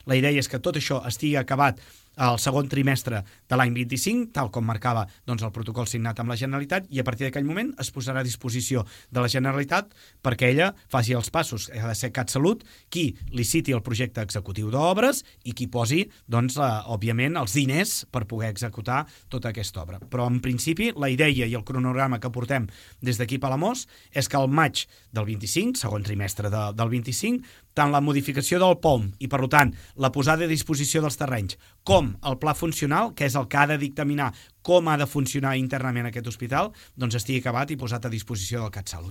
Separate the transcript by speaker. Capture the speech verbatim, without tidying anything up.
Speaker 1: La idea és que tot això estigui acabat al segon trimestre de l'any vint-i-cinc, tal com marcava doncs, el protocol signat amb la Generalitat, i a partir d'aquell moment es posarà a disposició de la Generalitat perquè ella faci els passos. Ha de ser CatSalut qui liciti el projecte executiu d'obres i qui posi, doncs, eh, òbviament, els diners per poder executar tota aquesta obra. Però, en principi, la idea i el cronograma que portem des d'aquí a Palamós és que al maig del vint-i-cinc, segon trimestre de, del vint-i-cinc, tant la modificació del P O M i, per tant, la posada a disposició dels terrenys, com el pla funcional, que és el que ha de dictaminar com ha de funcionar internament aquest hospital, doncs estigui acabat i posat a disposició del CatSalut.